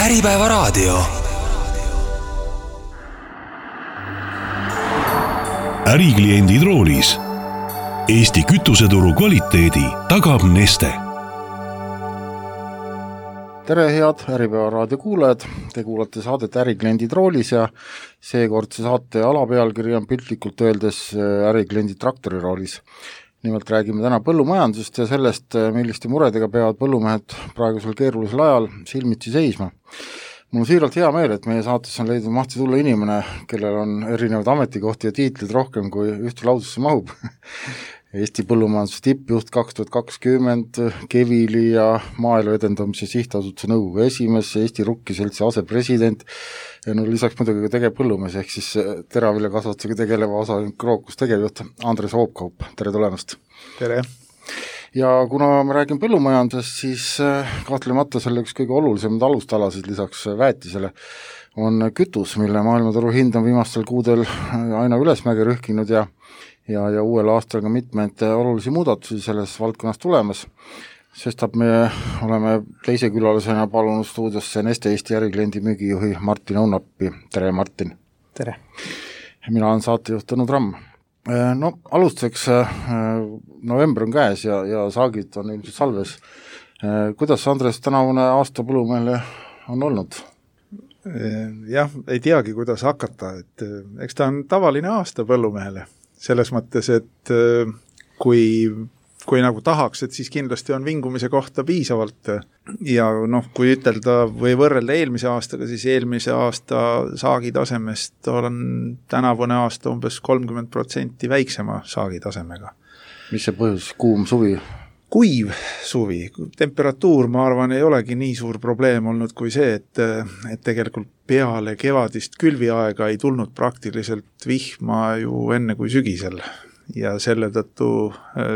Äripäevaraadio. Ärikliendid roolis. Eesti kütuseturu kvaliteedi tagab Neste. Tere head Äripäevaraadio kuulajad, te kuulate saadet Ärikliendid roolis ja seekordse saate alapealkiri on piltlikult öeldes Ärikliendid traktori roolis. Nimelt räägime täna põllumajandusest ja sellest, milliste muredega peavad põllumehed praegusel keerulisel ajal silmitsi seisma. Mul on siiralt hea meel, et meie saates on leidnud mahti tulla inimene, kellel on erinevad ametikohti ja tiitlid rohkem kui ühte lausesse mahub. Eesti põllumajanduse tippjuht 2020, Kevili ja Maaelu edendamise sihtasutuse nõukogu esimees, Eesti Rukkiseltsi asepresident ja lisaks muidugi ka tegev põllumees ehk siis teraviljakasvatusega tegeleva osa Krookus tegevjuht Andres Hoopkaup. Tere tulemast! Tere! Ja kuna me räägime põllumajandusest, siis kahtlemata selle üks kõige olulisemad alustalasid lisaks väetisele on kütus, mille maailmaturu hind on viimastel kuudel aina ülesmäge rühkinud ja uuel aastal ka mitmeid olulisi muudatusi selles valdkonnas tulemas. Sestap me oleme teise külalisena palunud stuudiosse Neste Eesti ärikliendi müügijuhi Martin Õunappi. Tere, Martin! Tere! Mina olen saatejuht Tõnu Tramm. No alustuseks november on käes ja saagid on ilmselt salves. Kuidas, Andres, tänavune aasta põllumehele on olnud? Jah, ei teagi, kuidas hakata. Eks ta on tavaline aasta põllumehele. Selles mõttes, et kui nagu tahaks, et siis kindlasti on vingumise kohta piisavalt ja kui ütelda või võrrelda eelmise aastaga, siis eelmise aasta saagitasemest on tänavune aasta umbes 30% väiksema saagitasemega. Mis see põhjus? Kuum suvi? Kuiv suvi. Temperatuur, ma arvan, ei olegi nii suur probleem olnud kui see, et tegelikult peale kevadist külviaega ei tulnud praktiliselt vihma ju enne kui sügisel. Ja selle tõttu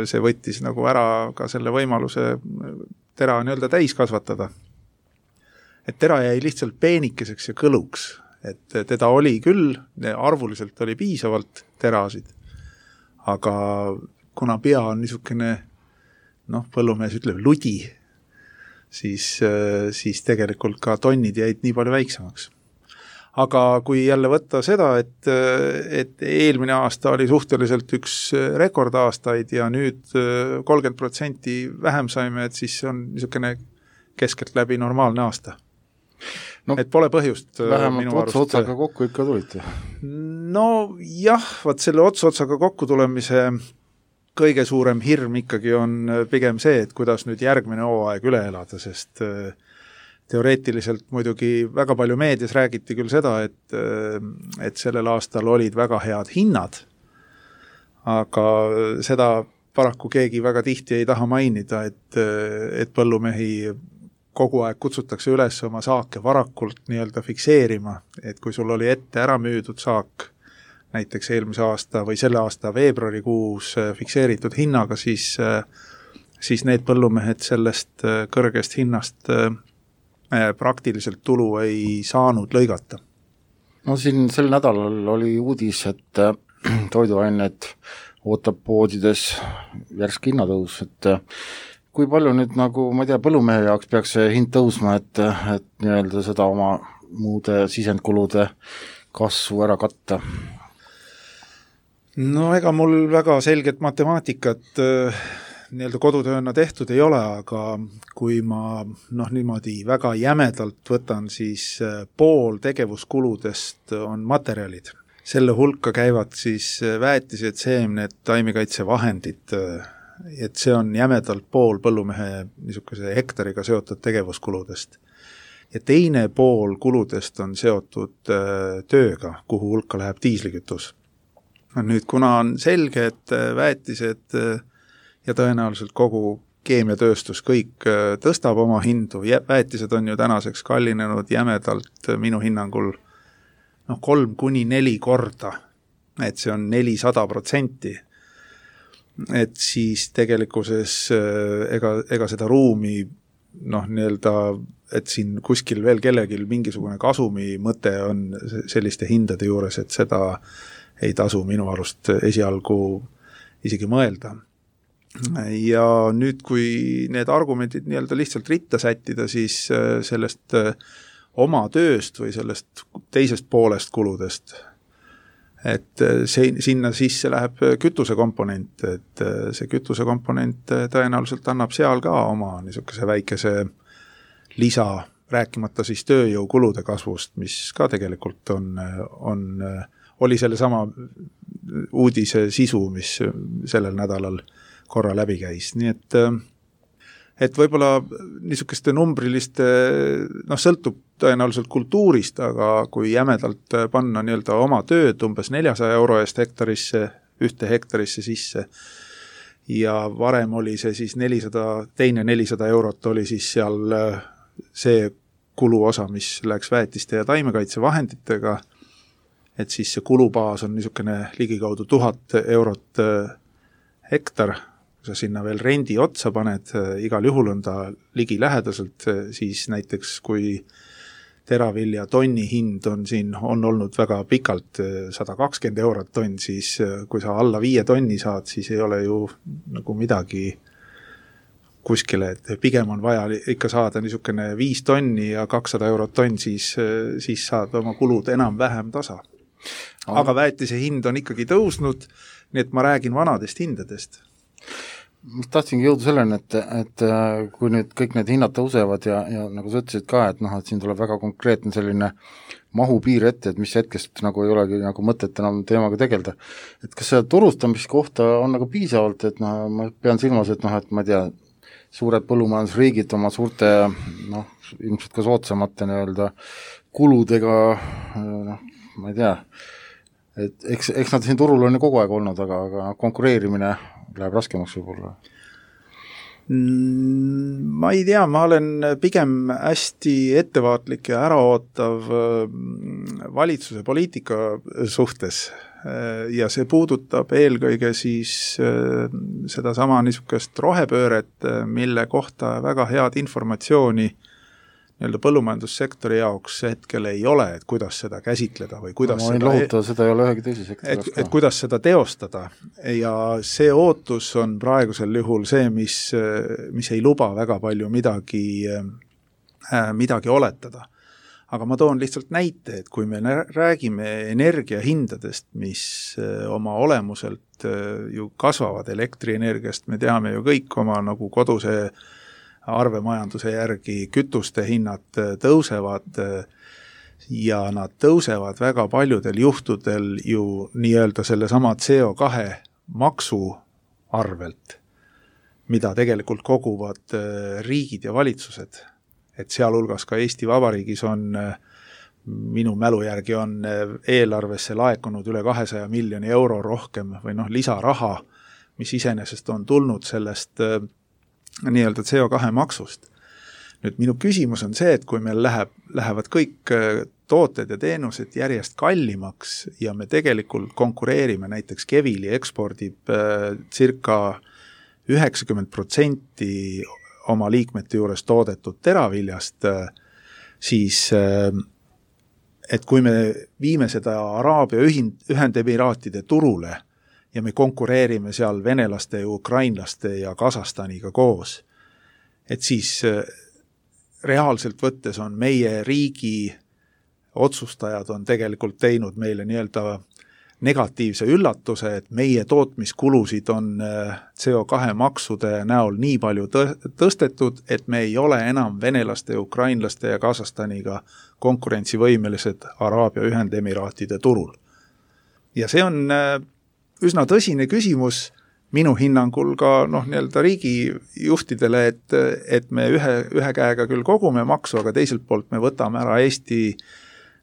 see võttis nagu ära ka selle võimaluse tera nii-öelda täis kasvatada. Et tera jäi lihtsalt peenikeseks ja kõluks. Et teda oli küll, arvuliselt oli piisavalt terasid, aga kuna pea on niisugune põllumees ütleb ludi, siis tegelikult ka tonnid jäid nii palju väiksemaks. Aga kui jälle võtta seda, et eelmine aasta oli suhteliselt üks rekordaastaid ja nüüd 30% vähem saime, et siis see on niisugune keskelt läbi normaalne aasta. Et pole põhjust vähemalt otsa-otsaga kokku ikka tulite. Jah, selle otsa-otsaga kokku tulemise kõige suurem hirm ikkagi on pigem see, et kuidas nüüd järgmine hooaeg üle elada, sest teoreetiliselt muidugi väga palju meedias räägiti küll seda, et sellel aastal olid väga head hinnad, aga seda paraku keegi väga tihti ei taha mainida, et põllumehi kogu aeg kutsutakse üles oma saake varakult nii-öelda fikseerima, et kui sul oli ette ära müüdud saak, näiteks eelmise aasta või selle aasta veebruarikuus fikseeritud hinnaga, siis need põllumehed sellest kõrgest hinnast praktiliselt tulu ei saanud lõigata. Siin sel nädalal oli uudis, et toiduained ootab poodides järsk hinnatõus, et kui palju nüüd ma ei tea, põllumehe jaoks peaks see hind tõusma, et nii-öelda seda oma muude sisendkulude kasvu ära katta? Ega mul väga selget matemaatikat nii-öelda kodutööna tehtud ei ole, aga kui ma niimoodi väga jämedalt võtan, siis pool tegevuskuludest on materjalid. Selle hulka käivad siis väetised, seemned, taimekaitsevahendid, et see on jämedalt pool põllumehe niisuguse hektariga seotud tegevuskuludest. Ja teine pool kuludest on seotud tööga, kuhu hulka läheb diislikütus. Nüüd, kuna on selge, et väetised ja tõenäoliselt kogu keemiatööstus kõik tõstab oma hindu, väetised on ju tänaseks kallinenud jämedalt minu hinnangul 3-4 korda, et see on 400%, et siis tegelikkuses ega seda ruumi nii-öelda, et siin kuskil veel kellegil mingisugune kasumi mõte on selliste hindade juures, et seda ei tasu minu arust esialgu isegi mõelda. Ja nüüd, kui need argumendid nii-öelda lihtsalt ritta sättida, siis sellest oma tööst või sellest teisest poolest kuludest. Et sinna sisse läheb kütusekomponent, et see kütusekomponent tõenäoliselt annab seal ka oma niisuguse väikese lisa, rääkimata siis tööjõukulude kasvust, mis ka tegelikult oli selle sama uudise sisu, mis sellel nädalal korra läbi käis. Nii et võib-olla niisugeste numbriliste, sõltub tõenäoliselt kultuurist, aga kui jämedalt panna nii-öelda oma tööd umbes 400 euro eest ühte hektarisse sisse ja varem oli see siis 400 eurot oli siis seal see kuluosa, mis läks väetiste ja taimekaitsevahenditega, et siis see kulubaas on niisugune ligikaudu 1000 eurot hektar, kui sa sinna veel rendi otsa paned, igal juhul on ta ligilähedaselt, siis näiteks kui teravilja tonni hind on olnud väga pikalt 120 eurot tonn, siis kui sa alla 5 tonni saad, siis ei ole ju nagu midagi kuskile, et pigem on vaja ikka saada niisugune 5 tonni ja 200 eurot tonn, siis saad oma kulud enam-vähem tasa. Aga väetise hind on ikkagi tõusnud, nii et ma räägin vanadest hindadest. Ma tahtsingi jõuda selleni, et kui nüüd kõik need hinnad tõusevad ja nagu sa ütlesid ka, et siin tuleb väga konkreetne selline mahupiir ette, et mis hetkest nagu ei olegi nagu mõtet enam teemaga tegelda. Et kas see turustamiskohta on nagu piisavalt, et ma pean silmas, et ma ei tea, suured põllumajandusriigid oma suurte, ilmselt ka soodsamate nii-öelda kuludega, ma ei tea, et eks nad siin turul on ju kogu aeg olnud, aga konkureerimine läheb raskemaks võib-olla. Ma ei tea, ma olen pigem hästi ettevaatlik ja äraootav valitsuse poliitika suhtes ja see puudutab eelkõige siis seda sama niisugust rohepööret, mille kohta väga head informatsiooni nii-öelda põllumajandussektori jaoks hetkel ei ole, et kuidas seda käsitleda või kuidas seda ei ole ühegi teise sektori jaoks. Et kuidas seda teostada ja see ootus on praegusel juhul see, mis ei luba väga palju midagi oletada. Aga ma toon lihtsalt näite, et kui me räägime energiahindadest, mis oma olemuselt ju kasvavad elektrienergiast, me teame ju kõik oma nagu koduse arvemajanduse järgi kütuste hinnad tõusevad ja nad tõusevad väga paljudel juhtudel ju nii-öelda sellesama CO2 maksu arvelt, mida tegelikult koguvad riigid ja valitsused. Et sealhulgas ka Eesti Vabariigis on, minu mälu järgi on eelarvesse laekunud üle 200 miljoni euro rohkem või lisaraha, mis iseenesest on tulnud sellest nii-öelda CO2 maksust. Nüüd minu küsimus on see, et kui meil lähevad kõik tooted ja teenused järjest kallimaks ja me tegelikult konkureerime, näiteks Kevili ekspordib circa 90% oma liikmete juures toodetud teraviljast, siis et kui me viime seda Araabia Ühendemiraatide turule ja me konkureerime seal venelaste ja ukrainlaste ja Kasahstaniga koos, et siis reaalselt võttes on meie riigi otsustajad on tegelikult teinud meile nii-öelda negatiivse üllatuse, et meie tootmiskulusid on CO2 maksude näol nii palju tõstetud, et me ei ole enam venelaste, ukrainlaste ja Kasahstaniga konkurentsivõimelised Araabia Ühendemiraatide turul. Ja see on üsna tõsine küsimus minu hinnangul ka nii-öelda riigijuhtidele, et me ühe käega küll kogume maksu, aga teiselt poolt me võtame ära Eesti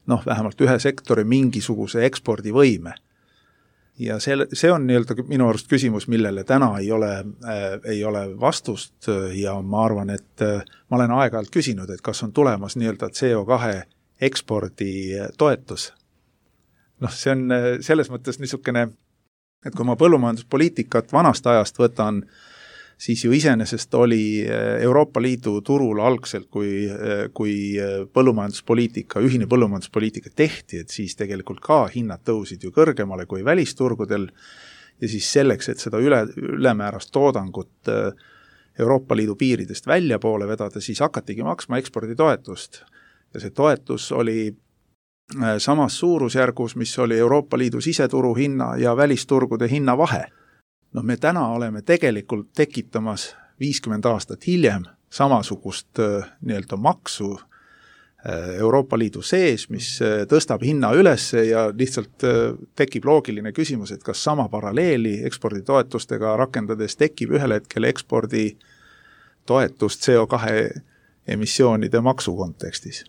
vähemalt ühe sektori mingisuguse ekspordivõime. Ja see on nii-öelda minu arust küsimus, millele täna ei ole vastust ja ma arvan, et ma olen aeg-ajalt küsinud, et kas on tulemas nii-öelda CO2 ekspordi toetus. See on selles mõttes niisugune, et kui ma põllumajanduspoliitikat vanast ajast võtan, siis ju iseenesest oli Euroopa Liidu turul algselt, kui põllumajanduspoliitika, ühine põllumajanduspoliitika tehti, et siis tegelikult ka hinnad tõusid ju kõrgemale kui välisturgudel ja siis selleks, et seda ülemäärast toodangut Euroopa Liidu piiridest väljapoole vedada, siis hakatigi maksma eksporditoetust. ja see toetus oli samas suurusjärgus, mis oli Euroopa Liidu siseturu hinna ja välisturgude hinna vahe. Me täna oleme tegelikult tekitamas 50 aastat hiljem samasugust nii-öelda maksu Euroopa Liidu sees, mis tõstab hinna üles ja lihtsalt tekib loogiline küsimus, et kas sama paralleeli eksporditoetustega rakendades tekib ühel hetkel ekspordi toetust CO2 emissioonide maksu kontekstis.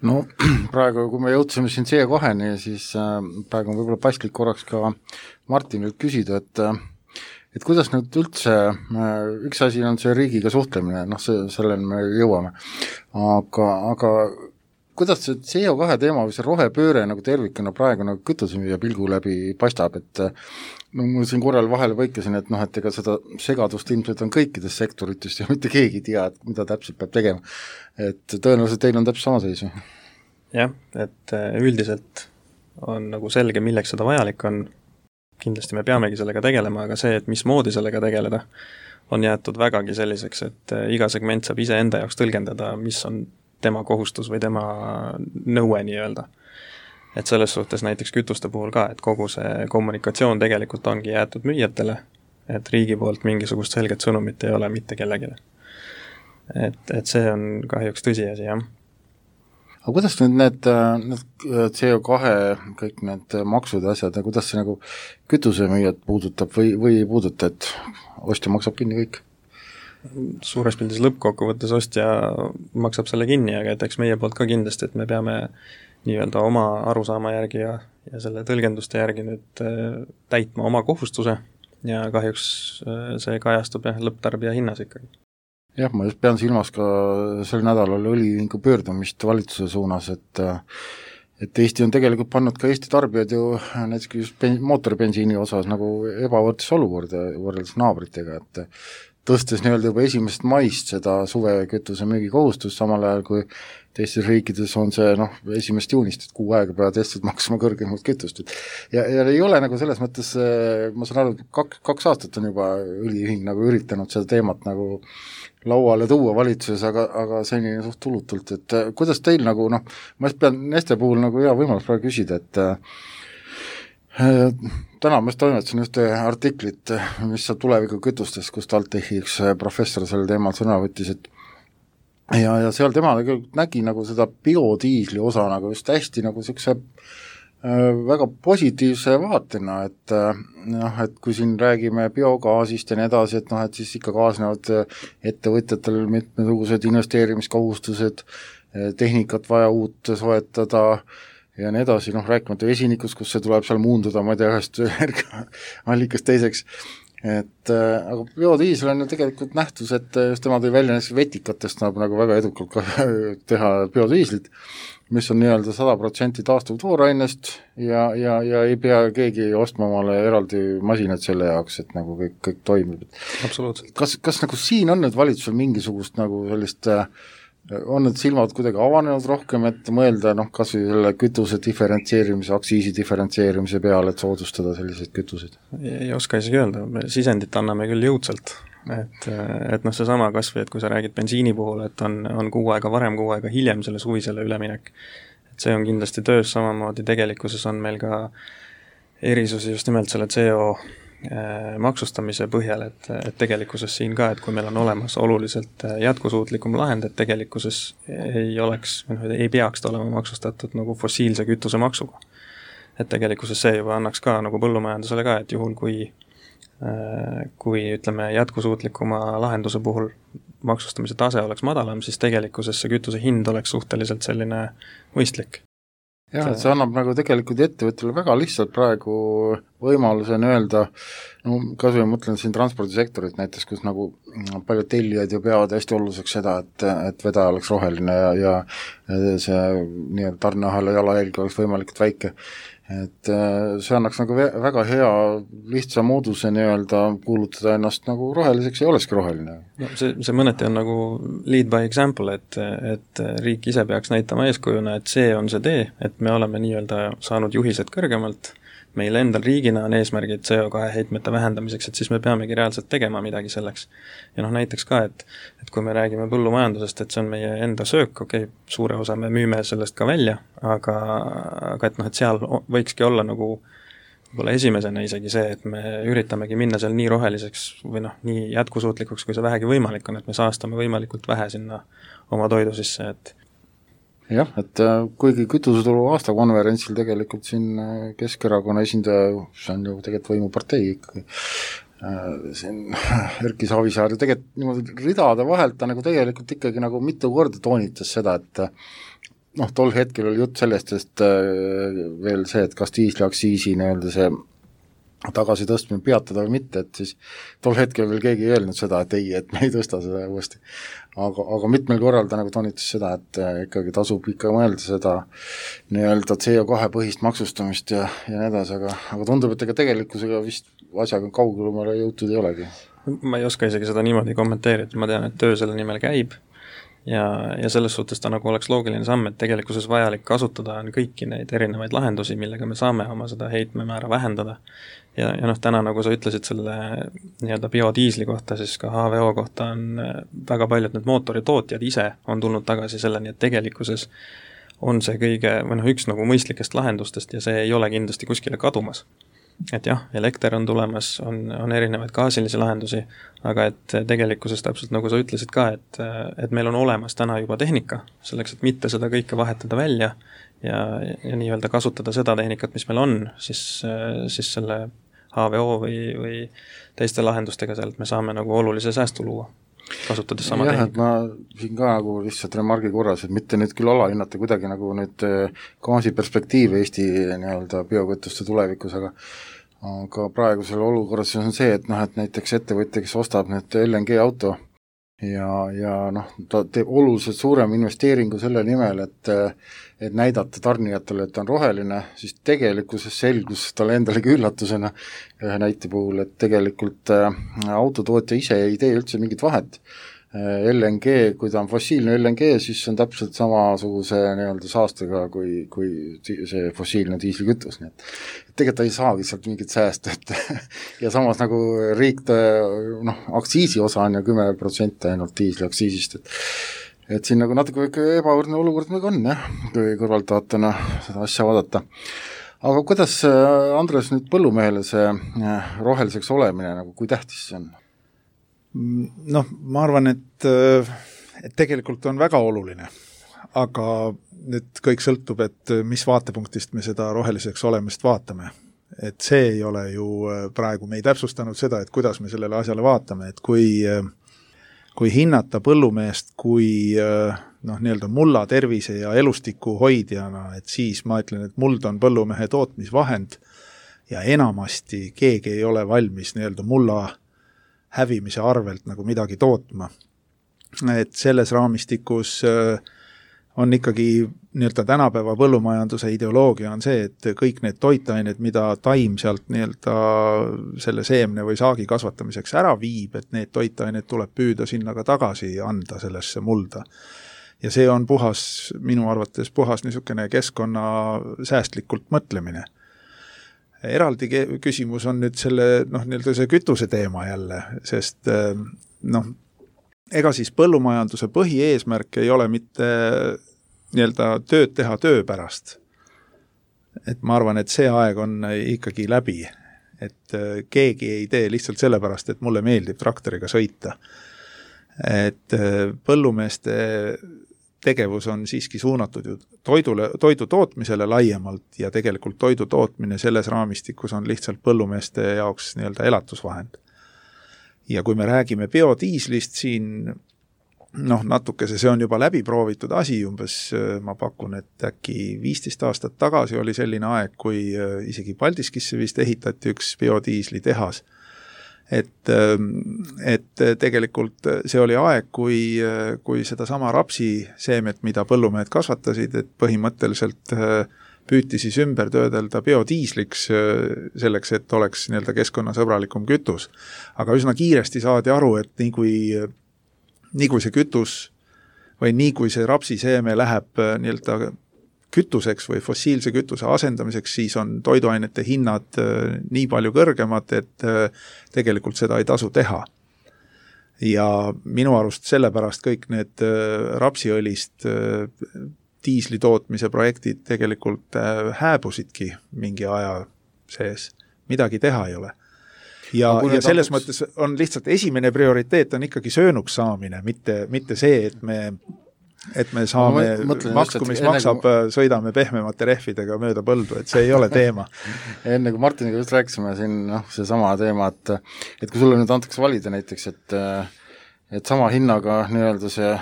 No praegu, kui me jõudsime siin CO2-ni, siis praegu on võib-olla paslik korraks ka Martinilt küsida, et kuidas nüüd üldse, üks asi on see riigiga suhtlemine, selleni me jõuame, aga kuidas see CO2 teema või see rohepööre nagu tervikuna praegu nagu kütusemüüja pilgu läbi paistab, et mul siin korral vahele põikasin, et ega seda segadust ilmselt on kõikides sektoritest ja mitte keegi ei tea, et mida täpselt peab tegema. Et tõenäoliselt teil on täpselt sama seisu. Jah, et üldiselt on nagu selge, milleks seda vajalik on. Kindlasti me peamegi sellega tegelema, aga see, et mismoodi sellega tegeleda, on jäetud vägagi selliseks, et iga segment saab ise enda jaoks tõlgendada, mis on tema kohustus või tema nõue nii-öelda. Et selles suhtes näiteks kütuste puhul ka, et kogu see kommunikatsioon tegelikult ongi jäetud müüjatele, et riigi poolt mingisugust selget sõnumit ei ole mitte kellegile. Et see on kahjuks tõsiasi, jah. Aga kuidas nüüd need CO2, kõik need maksud ja asjad, kuidas see nagu kütusemüüjad puudutab või ei puuduta, et ostja maksab kinni kõik? Suures pildis lõppkokkuvõttes ostja maksab selle kinni, aga et eks meie poolt ka kindlasti, et me peame nii-öelda oma arusaama järgi ja selle tõlgenduste järgi nüüd täitma oma kohustuse ja kahjuks see kajastub lõpptarbija hinnas ikkagi. Jah, ma just pean silmas ka sel nädalal õliühingu pöördumist valitsuse suunas, et Eesti on tegelikult pannud ka Eesti tarbijad ju näiteks just mootoribensiini osas nagu ebavõrdses olukorda võrreldes naabritega, et tõstes nii-öelda juba 1. maist seda suvekütuse müügi kohustust, samal ajal kui teistes riikides on see 1. juunist, et kuu aega peavad Eestit maksma kõrgemalt kütust. Ja ei ole nagu selles mõttes, ma saan aru, 2 aastat on juba õliühing nagu üritanud seda teemat nagu lauale tuua valitsuses, aga seni suht tulutult, et kuidas teil nagu, ma just pean Neste puhul nagu hea võimalus praegu küsida, et täna ma just toimetasin ühte artiklit, mis saab tuleviku kütustes, kus TalTechi üks professor selle teemal sõna võttis, et ja seal tema nägi nagu seda biodiisli osa nagu just hästi nagu siukse väga positiivse vaatena, et kui siin räägime biogaasist ja nii edasi, et siis ikka kaasnevad ettevõtjatel mitmesugused investeerimiskohustused, tehnikat vaja uut soetada ja nii edasi, rääkimata vesinikust, kus see tuleb seal muunduda, ma ei tea, ühest allikast teiseks, aga biodiisel on ju tegelikult nähtus, et just tema tõi välja näiteks vetikatest nagu väga edukalt teha biodiislit, mis on nii-öelda 100% taastuv toorainest ja ei pea keegi ostma omale eraldi masinad selle jaoks, et nagu kõik toimib. Absoluutselt. Kas nagu siin on nüüd valitsusel mingisugust nagu sellist, on need silmad kuidagi avanenud rohkem, et mõelda kas või selle kütuse diferentseerimise, aktsiisi diferentseerimise peale, et soodustada selliseid kütuseid? Ei oska isegi öelda, me sisendit anname küll jõudsalt. Et seesama kas või, et kui sa räägid bensiini puhul, et on kuu aega varem, kuu aega hiljem selle suvisele üleminek. Et see on kindlasti töös, samamoodi tegelikkuses on meil ka erisusi just nimelt selle CO maksustamise põhjal, et tegelikkuses siin ka, et kui meil on olemas oluliselt jätkusuutlikum lahend, et tegelikkuses ei peaks ta olema maksustatud nagu fossiilse kütuse maksuga. Et tegelikkuses see juba annaks ka nagu põllumajandusele ka, et juhul kui ütleme jätkusuutlikuma lahenduse puhul maksustamise tase oleks madalam, siis tegelikkuses see kütuse hind oleks suhteliselt selline mõistlik. Jah, et see annab nagu tegelikult ettevõttele väga lihtsalt praegu võimaluse öelda, kas või mõtlen siin transpordisektorit näiteks, kus nagu paljud tellijad ju peavad hästi oluliseks seda, et vedaja oleks roheline ja see nii-öelda tarneahela jalajälg oleks võimalikult väike. Et see annaks nagu väga hea lihtsa mooduse nii-öelda kuulutada ennast nagu roheliseks ja olekski roheline. No, see mõneti on nagu lead by example, et riik ise peaks näitama eeskujuna, et see on see tee, et me oleme nii-öelda saanud juhised kõrgemalt, meil endal riigina on eesmärgid CO2 heitmete vähendamiseks, et siis me peamegi reaalselt tegema midagi selleks. Ja näiteks ka, et kui me räägime põllumajandusest, et see on meie enda söök, suure osa me müüme sellest ka välja, aga et seal võikski olla nagu võib-olla esimesena isegi see, et me üritamegi minna seal nii roheliseks või nii jätkusuutlikuks, kui see vähegi võimalik on, et me saastame võimalikult vähe sinna oma toidu sisse, et jah, et kuigi kütuseturu aastakonverentsil tegelikult siin Keskerakonna esindaja, see on ju tegelikult võimupartei ikkagi, siin Erki Savisaar ju tegelikult niimoodi ridade vahelt ta nagu tegelikult ikkagi nagu mitu korda toonitas seda, et tol hetkel oli jutt sellest, et veel see, et kas diisliaktsiisi nii-öelda see tagasi tõstmine peatada või mitte, et siis tol hetkel veel keegi ei öelnud seda, et ei, et me ei tõsta seda uuesti. Aga mitmel korral ta nagu toonitas seda, et ikkagi tasub ikka mõelda seda nii-öelda CO2 põhist maksustamist ja nii edasi, aga tundub, et ega tegelikkusega vist asjaga kaugemale jõutud ei olegi. Ma ei oska isegi seda niimoodi kommenteerida, ma tean, et töö selle nimel käib ja selles suhtes ta nagu oleks loogiline samm, et tegelikkuses vajalik kasutada on kõiki neid erinevaid lahendusi, millega me saame oma seda heitmemäära vähendada. Ja täna, nagu sa ütlesid selle nii-öelda biodiisli kohta, siis ka HVO kohta on väga paljud need mootoritootjad ise on tulnud tagasi selleni, et tegelikkuses on see kõige, üks nagu mõistlikest lahendustest ja see ei ole kindlasti kuskile kadumas. Et jah, elekter on tulemas, on erinevaid gaasilisi lahendusi, aga et tegelikkuses täpselt nagu sa ütlesid ka, et meil on olemas täna juba tehnika, selleks, et mitte seda kõike vahetada välja ja nii-öelda kasutada seda tehnikat, mis meil on, siis selle HVO või teiste lahendustega sealt me saame nagu olulise säästu luua, kasutades sama tehnika. Et ma siin ka nagu lihtsalt remargi korras, et mitte nüüd küll alahinnata kuidagi nagu nüüd gaasi perspektiivi Eesti nii-öelda biokütuste tulevikus, aga praegusel olukorras on see, et näiteks ettevõtja, kes ostab nüüd LNG auto ja ta teeb oluliselt suurem investeeringu selle nimel, et näidata tarnijatele, et ta on roheline, siis tegelikkuses selgus talle endalegi üllatusena ühe näite puhul, et tegelikult autotootja ise ei tee üldse mingit vahet. LNG, kui ta on fossiilne LNG, siis on täpselt samasuguse nii-öelda saastega kui see fossiilne diislikütus, nii et tegelikult ta ei saagi sealt mingit säästu, ja samas nagu riik aktsiisi osa on ju 10% ainult diisliaktsiisist, et siin nagu natuke ebavõrdne olukord nagu on, jah, kui kõrvaltvaatena seda asja vaadata. Aga kuidas, Andres, nüüd põllumehele see roheliseks olemine, nagu kui tähtis see on? Ma arvan, et tegelikult on väga oluline, aga nüüd kõik sõltub, et mis vaatepunktist me seda roheliseks olemist vaatame. Et see ei ole ju praegu, me ei täpsustanud seda, et kuidas me sellele asjale vaatame, et kui hinnata põllumeest kui nii-öelda mulla tervise ja elustiku hoidjana, et siis ma ütlen, et muld on põllumehe tootmisvahend ja enamasti keegi ei ole valmis nii-öelda mulla hävimise arvelt nagu midagi tootma. Et selles raamistikus on ikkagi nii-öelda tänapäeva põllumajanduse ideoloogia on see, et kõik need toitained, mida taim sealt nii-öelda selle seemne või saagi kasvatamiseks ära viib, et need toitained tuleb püüda sinna ka tagasi anda sellesse mulda. Ja see on minu arvates puhas niisugune keskkonna säästlikult mõtlemine. Eraldi küsimus on nüüd selle, nii-öelda see kütuse teema jälle, sest ega siis põllumajanduse põhieesmärk ei ole mitte nii-öelda tööd teha töö pärast. Et ma arvan, et see aeg on ikkagi läbi, et keegi ei tee lihtsalt sellepärast, et mulle meeldib traktoriga sõita. Et põllumeeste tegevus on siiski suunatud ju toidu tootmisele laiemalt ja tegelikult toidu tootmine selles raamistikus on lihtsalt põllumeeste jaoks nii-öelda elatusvahend. Ja kui me räägime biodiislist siin, natuke see on juba läbi proovitud asi, umbes ma pakun, et äkki 15 aastat tagasi oli selline aeg, kui isegi Paldiskisse vist ehitati üks biodiisli tehas. Et tegelikult see oli aeg, kui seda sama rapsiseemet, mida põllumehed kasvatasid, et põhimõtteliselt püüti siis ümber töödelda biodiisliks selleks, et oleks nii-öelda keskkonnasõbralikum kütus. Aga üsna kiiresti saadi aru, et nii kui see kütus või nii kui see rapsiseeme läheb nii-öelda kütuseks või fossiilse kütuse asendamiseks, siis on toiduainete hinnad nii palju kõrgemad, et tegelikult seda ei tasu teha. Ja minu arust sellepärast kõik need rapsiõlist diisli tootmise projektid tegelikult hääbusidki mingi aja sees. Midagi teha ei ole. Ja selles mõttes on lihtsalt esimene prioriteet on ikkagi söönuks saamine, mitte see, et me saame maksu, mis maksab, sõidame pehmemate rehvidega mööda põldu, et see ei ole teema. Enne kui Martiniga just rääkisime siin see sama teema, et kui sulle nüüd antakse valida näiteks, et sama hinnaga nii-öelda see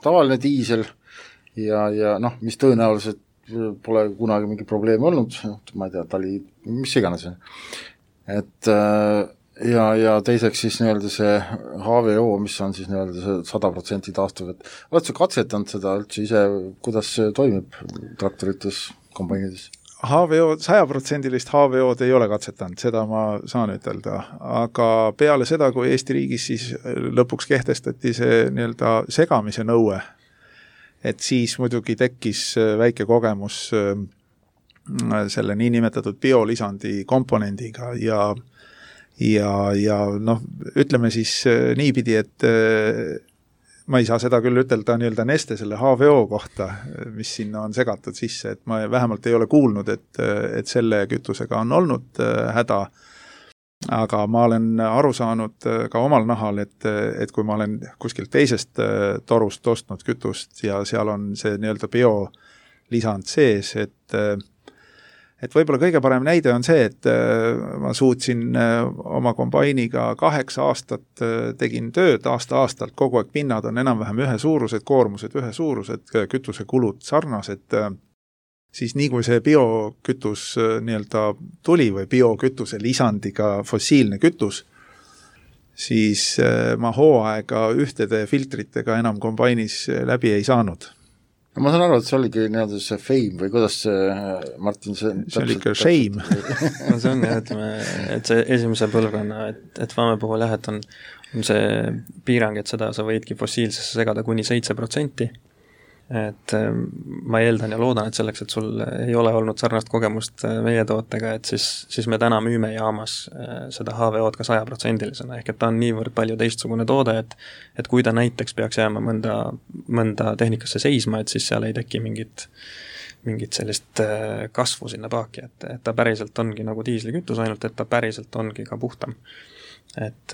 tavaline diisel ja mis tõenäoliselt pole kunagi mingi probleemi olnud, ma ei tea, ta oli, mis iganes on. Et ja teiseks siis nii-öelda see HVO, mis on siis nii-öelda see 100% taastuv, et oled sa katsetanud seda üldse ise, kuidas see toimib traktorites, kombainides? HVO, 100% HVO-d ei ole katsetanud, seda ma saan ütelda, aga peale seda, kui Eesti riigis siis lõpuks kehtestati see nii-öelda segamise nõue, et siis muidugi tekkis väike kogemus selle niinimetatud biolisandi komponendiga ja noh, ütleme siis niipidi, et ma ei saa seda küll ütelda nii-öelda Neste selle HVO kohta, mis sinna on segatud sisse, et ma vähemalt ei ole kuulnud, et selle kütusega on olnud häda, aga ma olen aru saanud ka omal nahal, et kui ma olen kuskilt teisest torust ostnud kütust ja seal on see nii-öelda biolisand sees, et võib-olla kõige parem näide on see, et ma suutsin oma kombainiga 8 aastat tegin tööd aasta-aastalt, kogu aeg pinnad on enam-vähem ühesuurused, koormused ühesuurused, kütusekulud sarnased, siis nii kui see biokütus nii-öelda tuli või biokütuse lisandiga fossiilne kütus, siis ma hooaega ühtede filtritega enam kombainis läbi ei saanud. Ma saan aru, et see oligi nii-öelda see fame või kuidas see, Martin, see oli ikka shame. No see on jah, ütleme, et see esimese põlvkonna, et Vame puhul jah, et on see piirang, et seda sa võidki fossiilsesse segada kuni 7%. Et ma eeldan ja loodan, et selleks, et sul ei ole olnud sarnast kogemust meie tootega, et siis me täna müüme jaamas seda HVO-d ka 100%-lisena, ehk et ta on niivõrd palju teistsugune toode, et kui ta näiteks peaks jääma mõnda tehnikasse seisma, et siis seal ei teki mingit sellist kasvu sinna paaki, et ta päriselt ongi nagu diislikütus, ainult et ta päriselt ongi ka puhtam. Et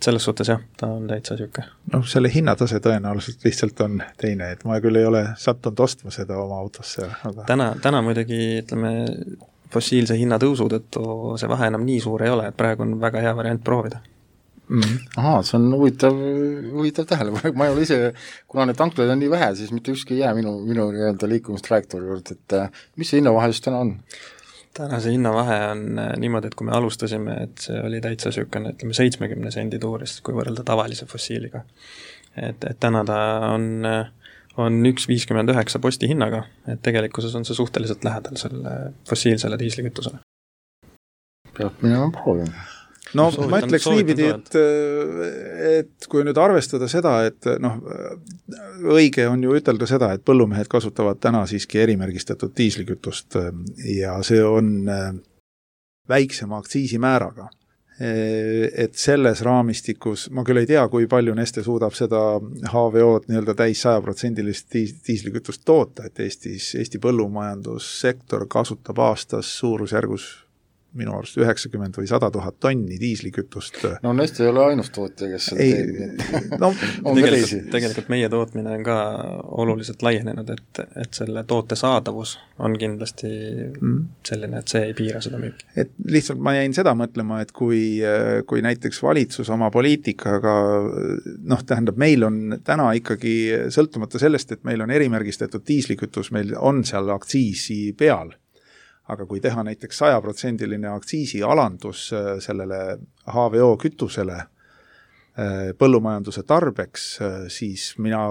selles suhtes jah, ta on täitsa süke. No selle hinnatase tõenäoliselt lihtsalt on teine, et ma küll ei ole sattunud ostma seda oma autosse. Aga... Täna muidugi, ütleme, fossiilse hinnatõusud, et see vahe enam nii suur ei ole, et praegu on väga hea variant proovida. Ahaa, see on huvitav tähele, ma ei ole ise, kuna need tanklaid on nii vähe, siis mitte ükski ei jää minu nii-öelda liikumistrajektoori juurde, et mis see hinnavahe just täna on? Täna see hinnavahe on niimoodi, et kui me alustasime, et see oli täitsa sükene, ütleme 70 sendi tuurist, kui võrrelda tavalise fossiiliga. Et täna ta on 1,59 posti hinnaga, et tegelikkuses on see suhteliselt lähedal selle fossiilsele diislikütusele. Peab minema proovima. No ma ütleks niipidi, et kui nüüd arvestada seda, et õige on ju ütelda seda, et põllumehed kasutavad täna siiski erimärgistatud diislikütust ja see on väiksema aktsiisimääraga. Et selles raamistikus, ma küll ei tea, kui palju Neste suudab seda HVO-d nii-öelda täis 100%-list diislikütust toota, et Eesti põllumajandussektor kasutab aastas suurusjärgus minu arust 90 või 100 000 tonni diislikütust. No Neste ei ole ainus tootja, kes seda teeb. No, tegelikult meie tootmine on ka oluliselt laienenud, et selle toote saadavus on kindlasti selline, et see ei piira seda müüki. Et lihtsalt ma jäin seda mõtlema, et kui näiteks valitsus oma poliitikaga, tähendab, meil on täna ikkagi sõltumata sellest, et meil on erimärgistatud diislikütus, meil on seal aktsiisi peal. Aga kui teha näiteks 100%-line aktsiisi alandus sellele HVO kütusele põllumajanduse tarbeks, siis mina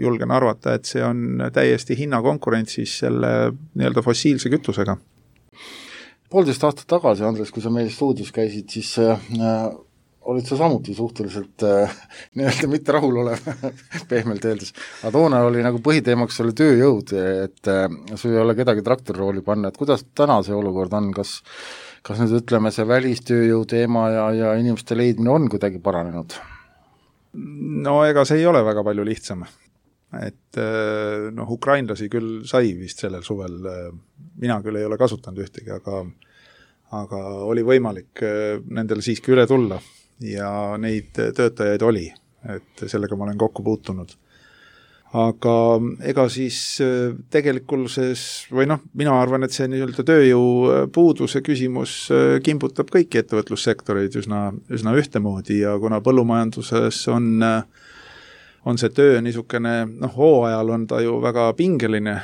julgen arvata, et see on täiesti hinnakonkurentsis selle nii-öelda fossiilse kütusega. 1,5 aastat tagasi, Andres, kui sa meil stuudios käisid, siis olid sa samuti suhteliselt nii-öelda mitte rahul olev, pehmelt öeldes. Aga toona oli nagu põhiteemaks oli tööjõud, et sul ei ole kedagi traktorirooli panna, et kuidas täna see olukord on, kas nüüd ütleme, see välistööjõu teema ja inimeste leidmine on kuidagi paranenud? No ega see ei ole väga palju lihtsam. Et ukrainlasi küll sai vist sellel suvel, mina küll ei ole kasutanud ühtegi, aga oli võimalik nendele siiski üle tulla ja neid töötajaid oli, et sellega ma olen kokku puutunud. Aga ega siis tegelikkuses, või mina arvan, et see nii-öelda tööjõu puuduse küsimus kimbutab kõiki ettevõtlussektoreid üsna ühtemoodi ja kuna põllumajanduses on see töö niisugune, hooajal on ta ju väga pingeline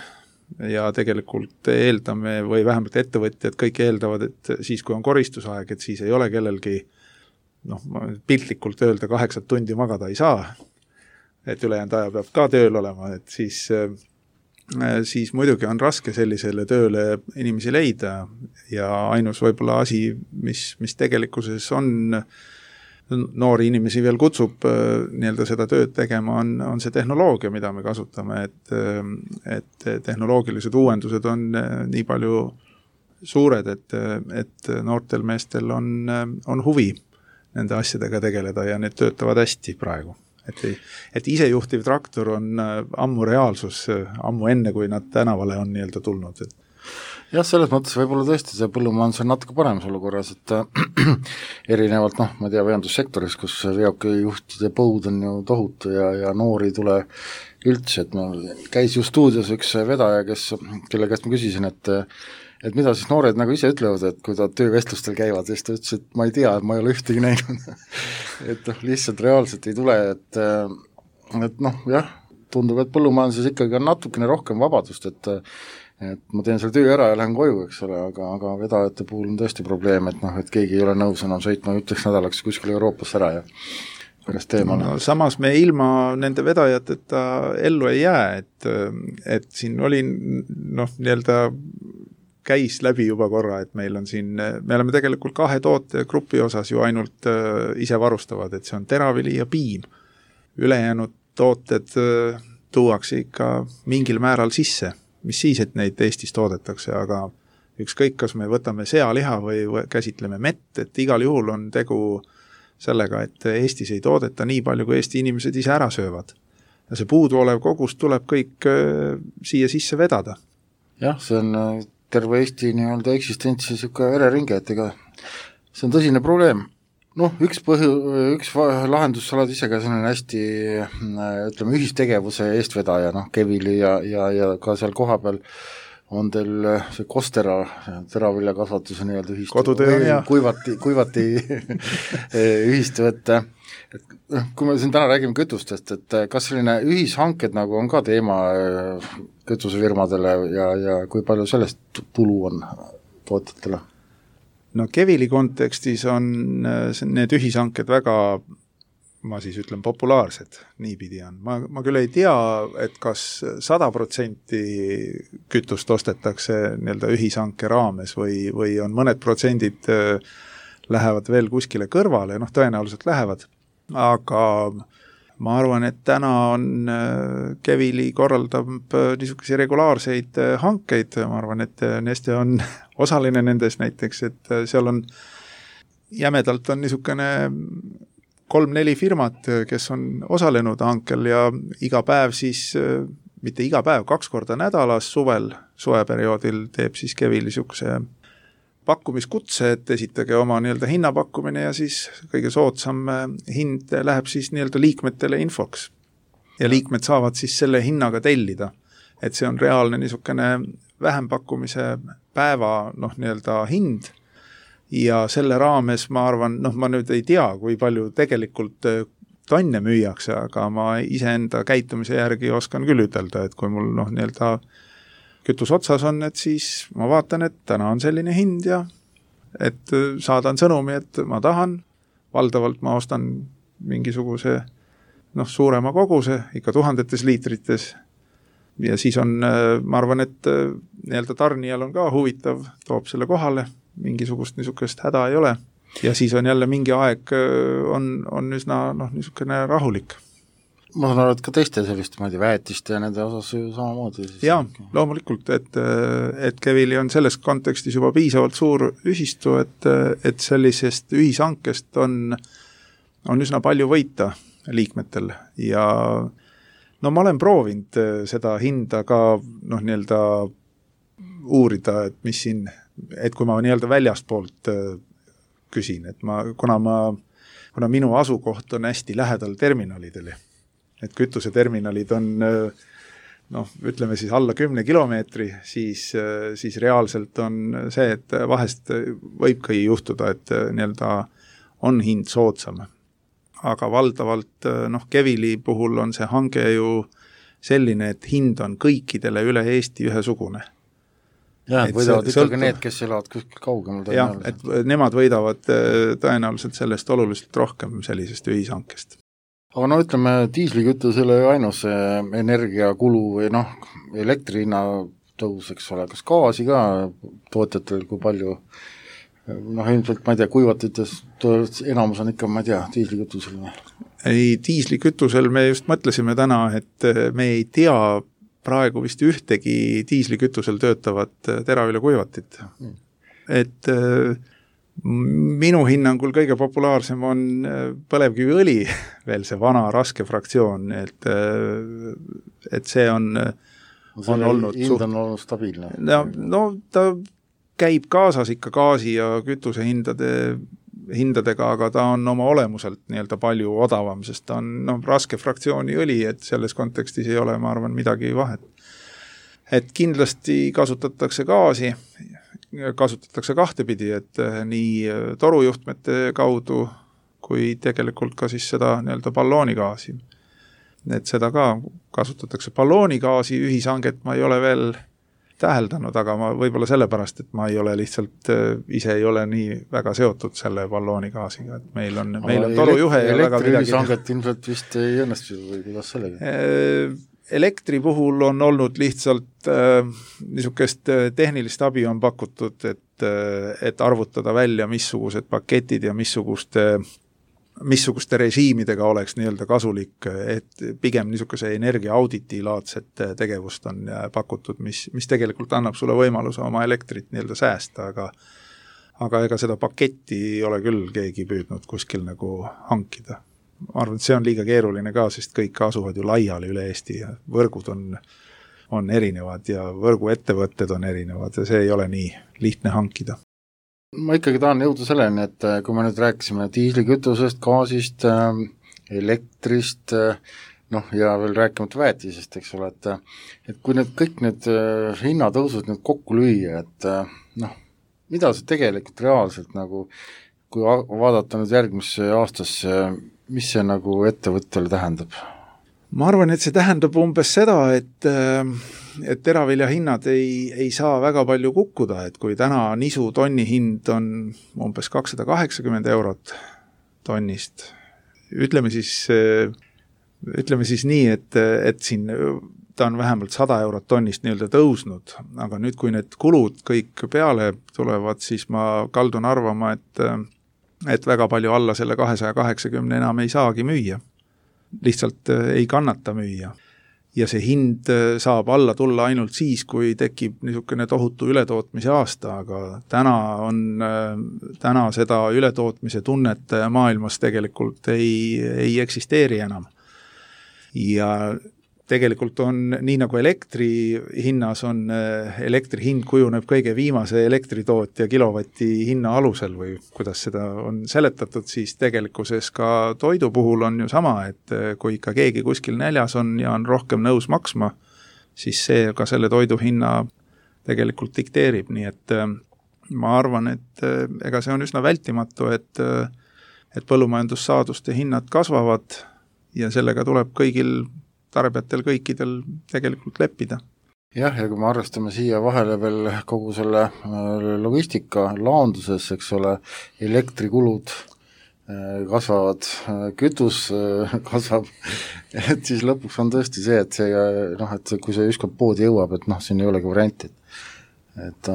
ja tegelikult eeldame või vähemalt ettevõtjad kõik eeldavad, et siis kui on koristusaeg, et siis ei ole kellelgi piltlikult öelda 8 tundi magada ei saa, et ülejäänud aja peab ka tööl olema, et siis muidugi on raske sellisele tööle inimesi leida ja ainus võib-olla asi, mis tegelikkuses on noori inimesi veel kutsub nii-öelda seda tööd tegema, on see tehnoloogia, mida me kasutame, et tehnoloogilised uuendused on nii palju suured, et noortel meestel on huvi nende asjadega tegeleda ja need töötavad hästi praegu. Et isejuhtiv traktor on ammu reaalsus, ammu enne, kui nad tänavale on nii-öelda tulnud. Jah, selles mõttes võib-olla tõesti see põllumajandus on natuke paremas olukorras, et erinevalt, ma tea, veondussektoris, kus veokijuhtide põud on ju tohutu ja noori ei tule üldse, et käis ju stuudios üks vedaja, kelle käest ma küsisin, et mida siis noored nagu ise ütlevad, et kui ta töövestlustel käivad, siis ta ütles, et ma ei tea, et ma ei ole ühtegi näinud. Et lihtsalt reaalselt ei tule, et jah, tundub, et põllumajanduses ikkagi on natukene rohkem vabadust, et ma teen selle töö ära ja lähen koju, eks ole, aga vedajate puhul on tõesti probleem, et keegi ei ole nõus enam sõitma 1 nädalaks kuskil Euroopas ära ja pärast teemale. No, samas me ilma nende vedajateta ellu ei jää, et siin oli nii-öelda käis läbi juba korra, et meil on siin, me oleme tegelikult 2 tootegrupi osas ju ainult ise varustavad, et see on teravili ja piim. Ülejäänud tooted tuuakse ikka mingil määral sisse, mis siis, et neid Eestis toodetakse, aga ükskõik, kas me võtame sealiha või käsitleme mett, et igal juhul on tegu sellega, et Eestis ei toodeta nii palju, kui Eesti inimesed ise ära söövad. Ja see puuduolev kogus tuleb kõik siia sisse vedada. Jah, see on terve Eesti nii-öelda eksistentsi siuke vereringe, et ega see on tõsine probleem. Üks lahendus, sa oled ise ka selline hästi, ütleme, ühistegevuse eestvedaja, Kevili ja ka seal koha peal on teil see Kostera teraviljakasvatuse nii-öelda ühistu, kuivati ühistu, et kui me siin täna räägime kütustest, et kas selline ühishanked nagu on ka teema kütusefirmadele ja kui palju sellest tulu on tootjatele? No Kevili kontekstis on need ühishanked väga, ma siis ütlen, populaarsed, niipidi on. Ma küll ei tea, et kas 100% kütust ostetakse nii-öelda ühishanke raames või on mõned protsendid lähevad veel kuskile kõrvale, tõenäoliselt lähevad, aga ma arvan, et täna on Kevili korraldab niisuguseid regulaarseid hankeid, ma arvan, et Neste on osaline nendes näiteks, et seal on jämedalt on niisugune 3-4 firmat, kes on osalenud hankel ja iga päev siis, mitte iga päev, 2 korda nädalas suveperioodil teeb siis Kevili niisuguse pakkumiskutse, et esitage oma nii-öelda hinnapakkumine ja siis kõige soodsam hind läheb siis nii-öelda liikmetele infoks. Ja liikmed saavad siis selle hinnaga tellida, et see on reaalne niisugune vähempakkumise päeva nii-öelda hind ja selle raames ma arvan, ma nüüd ei tea, kui palju tegelikult tonne müüakse, aga ma iseenda käitumise järgi oskan küll ütelda, et kui mul nii-öelda kütus otsas on, et siis ma vaatan, et täna on selline hind ja et saadan sõnumi, et ma tahan, valdavalt ma ostan mingisuguse suurema koguse, ikka 1000 liitrites ja siis on, ma arvan, et nii-öelda tarnijal on ka huvitav, toob selle kohale, mingisugust niisugust häda ei ole. Ja siis on jälle mingi aeg on üsna niisugune rahulik. Ma saan aru, et ka teiste selliste, ma ei tea, väetiste ja nende osas ju samamoodi. Jaa, loomulikult, et Kevili on selles kontekstis juba piisavalt suur ühistu, et sellisest ühishankest on üsna palju võita liikmetel ja ma olen proovinud seda hinda ka nii-öelda uurida, et mis siin, et kui ma nii-öelda väljastpoolt küsin, et kuna minu asukoht on hästi lähedal terminalidele, et kütuseterminalid on ütleme siis alla 10 kilomeetri, siis reaalselt on see, et vahest võibki juhtuda, et nii-öelda on hind soodsam. Aga valdavalt Kevili puhul on see hange ju selline, et hind on kõikidele üle Eesti ühesugune. Jah, võidavad ikkagi need, kes elavad kuskil kaugemal tõenäoliselt. Jah, et nemad võidavad tõenäoliselt sellest oluliselt rohkem sellisest ühishankest. Aga ütleme, diislikütusele ainus energiakulu või elektri hinna tõus, eks ole, kas gaasi ka tootjatel kui palju, ilmselt, ma ei tea, kuivatites enamus on ikka, ma ei tea, diislikütusel. Ei, diislikütusel me just mõtlesime täna, et me ei tea praegu vist ühtegi diislikütusel töötavat teraviljakuivatit. Et minu hinnangul kõige populaarsem on põlevkiviõli, veel see vana raske fraktsioon, et see on olnud hind on olnud stabiilne. Ta käib kaasas ikka gaasi ja kütuse hindadega, aga ta on oma olemuselt nii-öelda palju odavam, sest ta on raske fraktsiooni õli, et selles kontekstis ei ole, ma arvan, midagi vahet. Et kindlasti kasutatakse gaasi, kasutatakse kahtepidi, et nii torujuhtmete kaudu kui tegelikult ka siis seda nii-öelda balloonigaasi. Et seda ka kasutatakse. Balloonigaasi ühishanget ma ei ole veel täheldanud, aga ma võib-olla sellepärast, et ma ei ole lihtsalt, ise ei ole nii väga seotud selle balloonigaasiga, et meil on torujuhe ja väga midagi. Elektriühishanget ilmselt vist ei õnnestu või kuidas sellega? Elektri puhul on olnud lihtsalt niisugust tehnilist abi on pakutud, et arvutada välja, missugused paketid ja missuguste režiimidega oleks nii-öelda kasulik, et pigem niisuguse energiaauditilaadset tegevust on pakutud, mis tegelikult annab sulle võimaluse oma elektrit nii-öelda säästa, aga ega seda paketti ei ole küll keegi püüdnud kuskil nagu hankida. Ma arvan, et see on liiga keeruline ka, sest kõik asuvad ju laiali üle Eesti ja võrgud on erinevad ja võrguettevõtted on erinevad ja see ei ole nii lihtne hankida. Ma ikkagi tahan jõuda selleni, et kui me nüüd rääkisime diislikütusest, gaasist, elektrist, ja veel rääkimata väetisest, eks ole, et kui kõik need hinnatõusud nüüd kokku lüüa, et mida see tegelikult reaalselt kui vaadata nüüd järgmisse aastasse, mis see ettevõttele tähendab? Ma arvan, et see tähendab umbes seda, et teravilja hinnad ei saa väga palju kukkuda, et kui täna nisu tonni hind on umbes 280 eurot tonnist, ütleme siis nii, et siin ta on vähemalt 100 eurot tonnist nii-öelda tõusnud, aga nüüd, kui need kulud kõik peale tulevad, siis ma kaldun arvama, et väga palju alla selle 280 enam ei saagi müüa. Lihtsalt ei kannata müüa. Ja see hind saab alla tulla ainult siis, kui tekib niisugune tohutu ületootmise aasta, aga täna seda ületootmise tunnet maailmas tegelikult ei eksisteeri enam. Ja tegelikult on, nii nagu elektri hinnas on, elektri hind kujuneb kõige viimase elektritootja kilovati hinna alusel või kuidas seda on seletatud, siis tegelikkuses ka toidu puhul on ju sama, et kui ikka keegi kuskil näljas on ja on rohkem nõus maksma, siis see ka selle toidu hinna tegelikult dikteerib, nii et ma arvan, et ega see on üsna vältimatu, et põllumajandussaaduste hinnad kasvavad ja sellega tuleb kõigil tarbijatel kõikidel tegelikult leppida. Jah, ja kui me arvestame siia vahele veel kogu selle logistika laonduses, eks ole, elektrikulud kasvavad, kütus kasvab, et siis lõpuks on tõesti see, et kui see ükskord poodi jõuab, et siin ei olegi varianti. et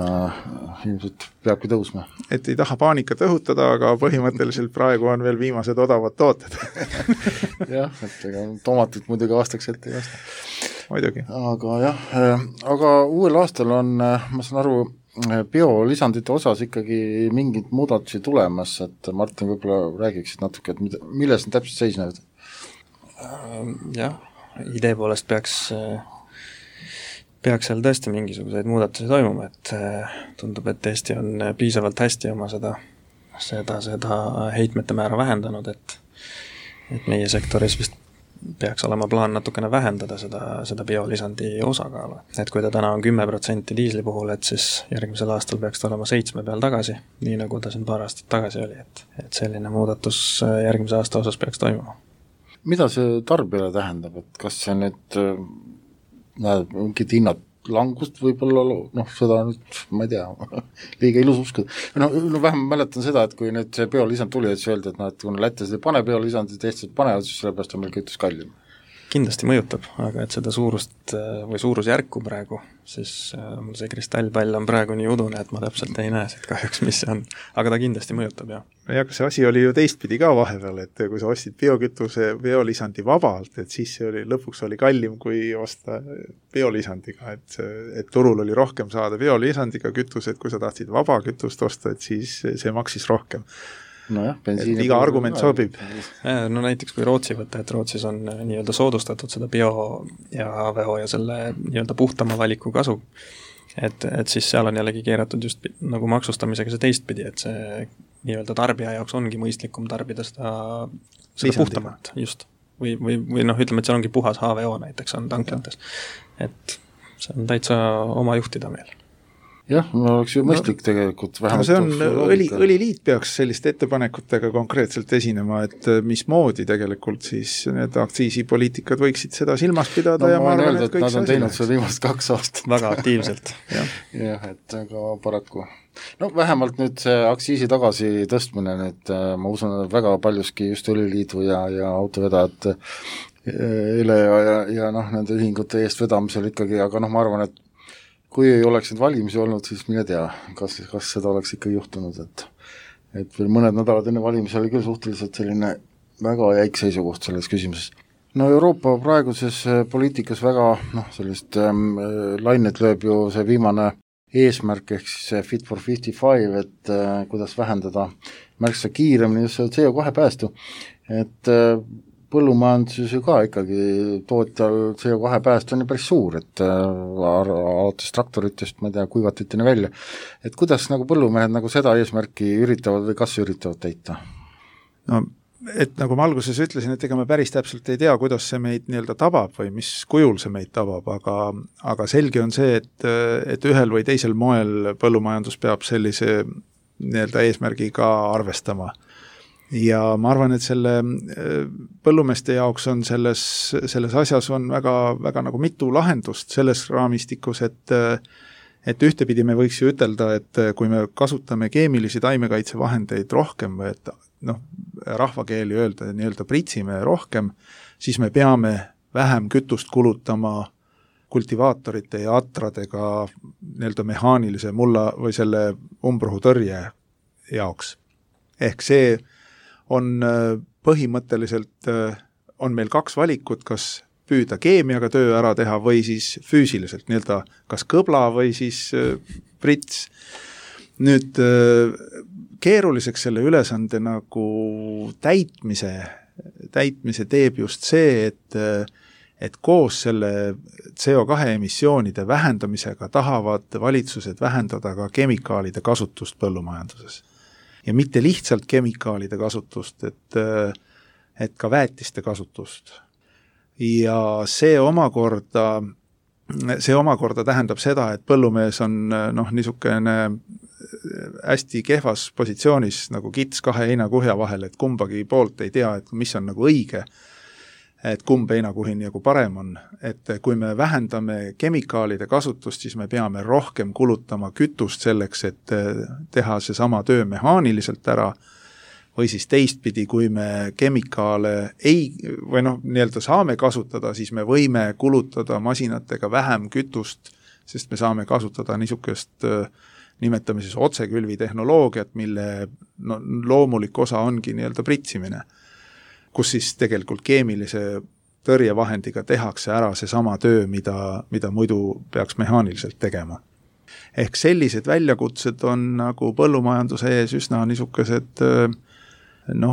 ilmselt peabki tõusma. Et ei taha paanikat õhutada, aga põhimõtteliselt praegu on veel viimased odavad tooted. jah, et ega tomatit muidugi aastaks ette ei osta. Muidugi. Aga jah, aga uuel aastal on, ma saan aru, biolisandite osas ikkagi mingid muudatusi tulemas, et Martin võib-olla räägiksid natuke, et milles need täpselt seisnevad? Jah, idee poolest peaks seal tõesti mingisuguseid muudatusi toimuma, et tundub, et Eesti on piisavalt hästi oma seda heitmete määra vähendanud, et meie sektoris vist peaks olema plaan natukene vähendada seda biolisandi osakaalu. Et kui ta täna on 10% diisli puhul, et siis järgmisel aastal peaks ta olema 7 peal tagasi, nii nagu ta siin paar aastat tagasi oli, et selline muudatus järgmise aasta osas peaks toimuma. Mida see tarbijale tähendab, et kas see nüüd mingid hinnad langust võib-olla, seda nüüd, ma ei tea, liiga ilus uskuda. Vähem mäletan seda, et kui nüüd see biolisand tuli, et öeldi, et kui Lätis ei pane biolisandid, Eestis panevad, siis sellepärast on meil kütus kallim. Kindlasti mõjutab, aga et seda suurust või suurusjärku praegu, siis mul see kristallpall on praegu nii udune, et ma täpselt ei näe siit kahjuks, mis see on. Aga ta kindlasti mõjutab, jah. Ja see asi oli ju teistpidi ka vahepeal, et kui sa ostid biokütuse biolisandi vabalt, et siis see lõpuks oli kallim kui osta biolisandiga, et turul oli rohkem saada biolisandiga kütus, et kui sa tahtsid vaba kütust osta, et siis see maksis rohkem. Iga argument sobib. No näiteks kui Rootsi võtta, et Rootsis on nii-öelda soodustatud seda bio- ja HVO ja selle nii-öelda puhtama valiku kasu, et siis seal on jällegi keeratud just nagu maksustamisega see teistpidi, et see nii-öelda tarbija jaoks ongi mõistlikum tarbida seda puhtamat, just. Või ütleme, et seal ongi puhas HVO näiteks on tanklates, et see on täitsa oma juhtida meil. Jah, oleks ju mõistlik tegelikult vähemalt. See on, õliliit peaks selliste ettepanekutega konkreetselt esinema, et mismoodi tegelikult siis need aktsiisipoliitikad võiksid seda silmas pidada ja ma arvan, et kõik nad on teinud seda viimast 2 aastat. Väga aktiivselt. jah, et aga paraku. Vähemalt nüüd see aktsiisi tagasi tõstmine, nüüd ma usun, et väga paljuski just õliliidu ja autovedajad Ele ja nende ühingute eest vedamisel ikkagi, aga ma arvan, et kui ei oleks need valimisi olnud, siis mine tea, kas seda oleks ikka juhtunud, et veel mõned nädalad enne valimisi oli küll suhteliselt selline väga jäik seisukoht selles küsimuses. Euroopa praeguses poliitikas väga sellist lainet lööb ju see viimane eesmärk ehk siis see Fit for 55, et kuidas vähendada märksa kiiremini just CO2 päästu, et põllumajanduses ju ka ikkagi tootjal CO2 pääst on ju päris suur, et alates traktoritest, ma ei tea, kuivatiteni välja. Et kuidas nagu põllumehed nagu seda eesmärki üritavad või kas üritavad täita? Et nagu ma alguses ütlesin, et ega me päris täpselt ei tea, kuidas see meid nii-öelda tabab või mis kujul see meid tabab, aga selge on see, et ühel või teisel moel põllumajandus peab sellise nii-öelda eesmärgiga arvestama. Ja ma arvan, et selle põllumeeste jaoks on selles asjas on väga, väga nagu mitu lahendust selles raamistikus, et ühtepidi me võiks ju ütelda, et kui me kasutame keemilisi taimekaitsevahendeid rohkem või et rahvakeeli öelda, nii-öelda pritsime rohkem, siis me peame vähem kütust kulutama kultivaatorite ja atradega nii-öelda mehaanilise mulla või selle umbrohutõrje jaoks. Ehk see on põhimõtteliselt, on meil 2 valikut, kas püüda keemiaga töö ära teha või siis füüsiliselt, nii-öelda kas kõbla või siis prits. Nüüd keeruliseks selle ülesande nagu täitmise teeb just see, et koos selle CO2 emissioonide vähendamisega tahavad valitsused vähendada ka kemikaalide kasutust põllumajanduses. Ja mitte lihtsalt kemikaalide kasutust, et ka väetiste kasutust. Ja see omakorda tähendab seda, et põllumees on niisugune hästi kehvas positsioonis nagu kits 2 heinakuhja vahel, et kumbagi poolt ei tea, et mis on nagu õige, et kumb heinakuhi nagu parem on. Et kui me vähendame kemikaalide kasutust, siis me peame rohkem kulutama kütust selleks, et teha see sama töö mehaaniliselt ära, või siis teistpidi, kui me kemikaale nii-öelda saame kasutada, siis me võime kulutada masinatega vähem kütust sest me saame kasutada niisugust nimetame siis otsekülvi tehnoloogiat, mille loomulik osa ongi nii-öelda pritsimine, kus siis tegelikult keemilise tõrjevahendiga tehakse ära seesama töö, mida muidu peaks mehaaniliselt tegema. Ehk sellised väljakutsed on nagu põllumajanduse ees üsna niisugused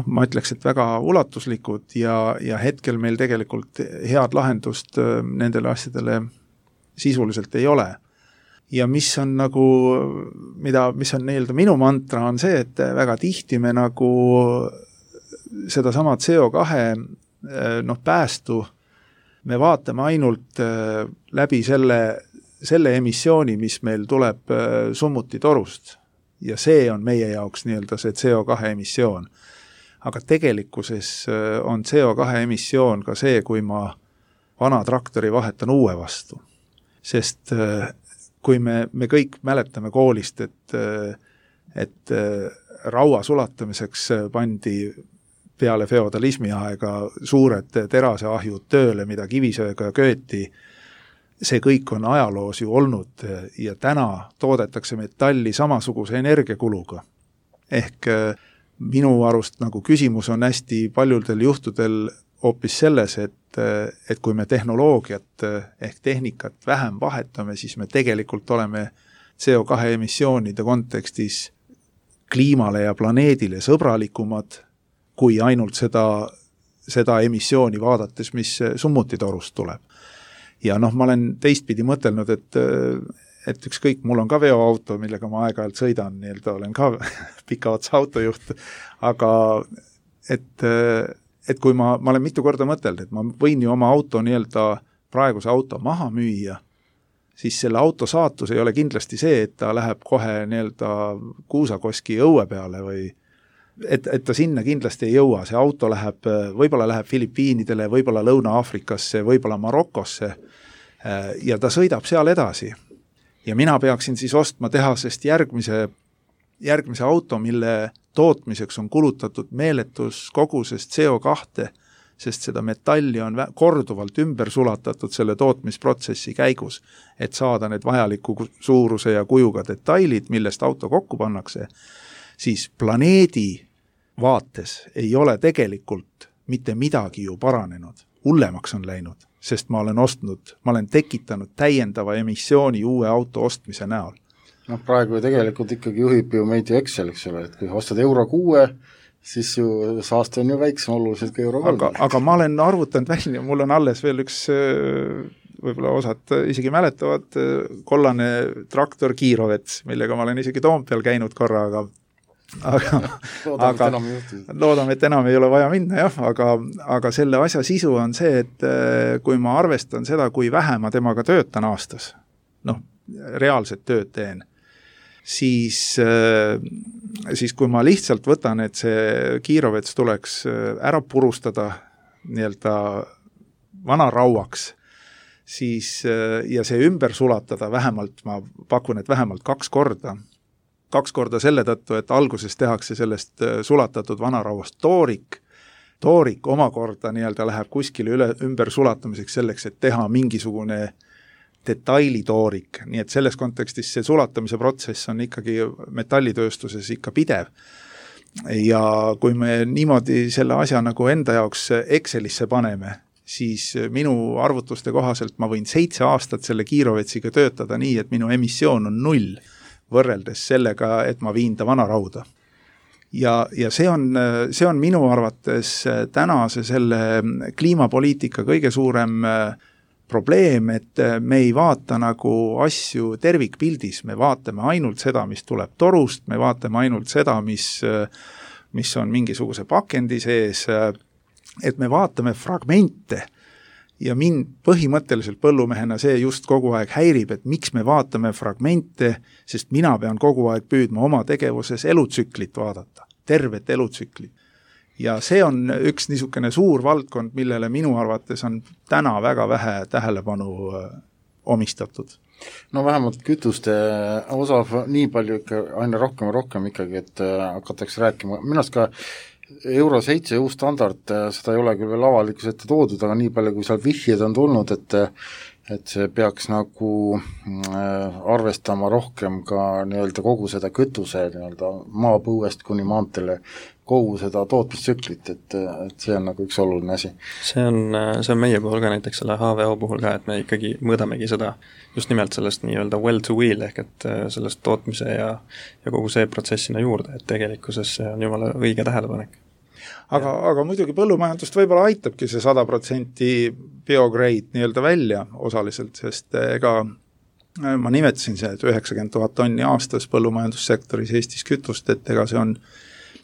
ma ütleks, et väga ulatuslikud ja hetkel meil tegelikult head lahendust nendele asjadele sisuliselt ei ole. Ja mis on nagu, mis on nii-öelda minu mantra, on see, et väga tihti me nagu seda sama CO2 päästu me vaatame ainult läbi selle emissiooni, mis meil tuleb summuti-torust. Ja see on meie jaoks nii-öelda see CO2 emissioon. Aga tegelikkuses on CO2 emissioon ka see, kui ma vana traktori vahetan uue vastu. Sest kui me kõik mäletame koolist, et raua sulatamiseks pandi peale feodalismi aega suured teraseahjud tööle, mida kivisööga kööti, see kõik on ajaloos ju olnud ja täna toodetakse metalli samasuguse energiakuluga. Ehk minu arust nagu küsimus on hästi paljudel juhtudel hoopis selles, et kui me tehnoloogiat ehk tehnikat vähem vahetame, siis me tegelikult oleme CO2 emissioonide kontekstis kliimale ja planeedile sõbralikumad kui ainult seda emissiooni vaadates, mis summuti-torust tuleb. Ja ma olen teistpidi mõtelnud, et ükskõik, mul on ka veoauto, millega ma aeg-ajalt sõidan, nii-öelda olen ka pika otsa autojuht, aga et kui ma olen mitu korda mõtelnud, et ma võin ju oma auto nii-öelda praeguse auto maha müüa, siis selle auto saatus ei ole kindlasti see, et ta läheb kohe nii-öelda kuusakoski õue peale või et ta sinna kindlasti ei jõua. See auto võib-olla läheb Filipiinidele, võib-olla Lõuna-Aafrikasse, võib-olla Marokosse ja ta sõidab seal edasi. Ja mina peaksin siis ostma tehasest järgmise auto, mille tootmiseks on kulutatud meeletus kogusest CO2, sest seda metalli on korduvalt ümber sulatatud selle tootmisprotsessi käigus, et saada need vajaliku suuruse ja kujuga detailid, millest auto kokku pannakse, siis planeedi vaates ei ole tegelikult mitte midagi ju paranenud. Hullemaks on läinud, sest ma olen tekitanud täiendava emissiooni uue auto ostmise näol. Praegu tegelikult ikkagi juhib ju meid ju Excel, eks ole, et kui ostad euro 6, siis ju saaste on ju väiksem oluliselt kui euro 3. Aga ma olen arvutanud välja, mul on alles veel üks, võib-olla osad isegi mäletavad, kollane traktor Kiirovets, millega ma olen isegi Toompeal käinud korra, loodame, et enam ei ole vaja minna, jah, aga selle asja sisu on see, et kui ma arvestan seda, kui vähe ma temaga töötan aastas, reaalset tööd teen, siis kui ma lihtsalt võtan, et see Kiirovets tuleks ära purustada nii-öelda vanarauaks, siis ja see ümber sulatada vähemalt, ma pakun, et vähemalt 2 korda selle tõttu, et alguses tehakse sellest sulatatud vanarauast toorik omakorda nii-öelda läheb kuskile ümber sulatamiseks selleks, et teha mingisugune detailitoorik, nii et selles kontekstis see sulatamise protsess on ikkagi metallitööstuses ikka pidev. Ja kui me niimoodi selle asja nagu enda jaoks Excelisse paneme, siis minu arvutuste kohaselt ma võin 7 aastat selle Kiirovetsiga töötada nii, et minu emissioon on 0 võrreldes sellega, et ma viin ta vanarauda. Ja see on minu arvates tänase selle kliimapoliitika kõige suurem probleem, et me ei vaata nagu asju tervikpildis, me vaatame ainult seda, mis tuleb torust, me vaatame ainult seda, mis on mingisuguse pakendi sees, et me vaatame fragmente ja mind põhimõtteliselt põllumehena see just kogu aeg häirib, et miks me vaatame fragmente, sest mina pean kogu aeg püüdma oma tegevuses elutsüklit vaadata, tervet elutsüklit. Ja see on üks niisugune suur valdkond, millele minu arvates on täna väga vähe tähelepanu omistatud. Vähemalt kütuste osav nii palju ikka aina rohkem ikkagi, et hakatakse rääkima. Minust ka Euro 7 uus standard, seda ei ole küll veel avalikus ette toodud, aga nii palju, kui seal vihjed on tulnud, et see peaks nagu arvestama rohkem ka nii-öelda kogu seda kütuse nii-öelda maapõuest kuni maanteele, kogu seda tootmistsüklit, et see on nagu üks oluline asi. See on meie puhul ka näiteks selle HVO puhul ka, et me ikkagi mõõdamegi seda just nimelt sellest nii-öelda well to wheel ehk et sellest tootmise ja kogu see protsess sinna juurde, et tegelikkuses see on jumala õige tähelepanek. Aga muidugi põllumajandust võib-olla aitabki see 100% biograde nii-öelda välja osaliselt, sest ega ma nimetasin see, et 90 000 tonni aastas põllumajandussektoris Eestis kütust, et ega see on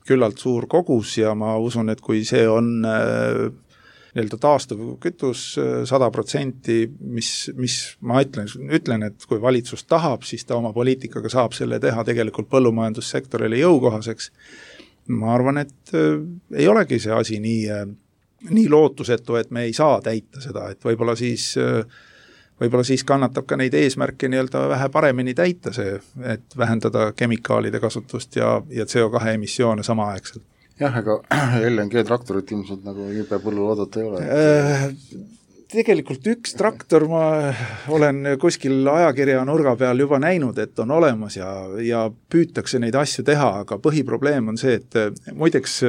küllalt suur kogus ja ma usun, et kui see on nii-öelda taastuv kütus 100%, mis ma ütlen, et kui valitsus tahab, siis ta oma poliitikaga saab selle teha tegelikult põllumajandussektorile jõukohaseks. Ma arvan, et ei olegi see asi nii lootusetu, et me ei saa täita seda, et võib-olla siis kannatab ka neid eesmärke nii-öelda vähe paremini täita see, et vähendada kemikaalide kasutust ja CO2 emissioone samaaegselt. Jah, ega LNG traktorit ilmselt nagu jube põllul oodata ei ole. Tegelikult üks traktor ma olen kuskil ajakirja nurga peal juba näinud, et on olemas ja püütakse neid asju teha, aga põhiprobleem on see, et muideks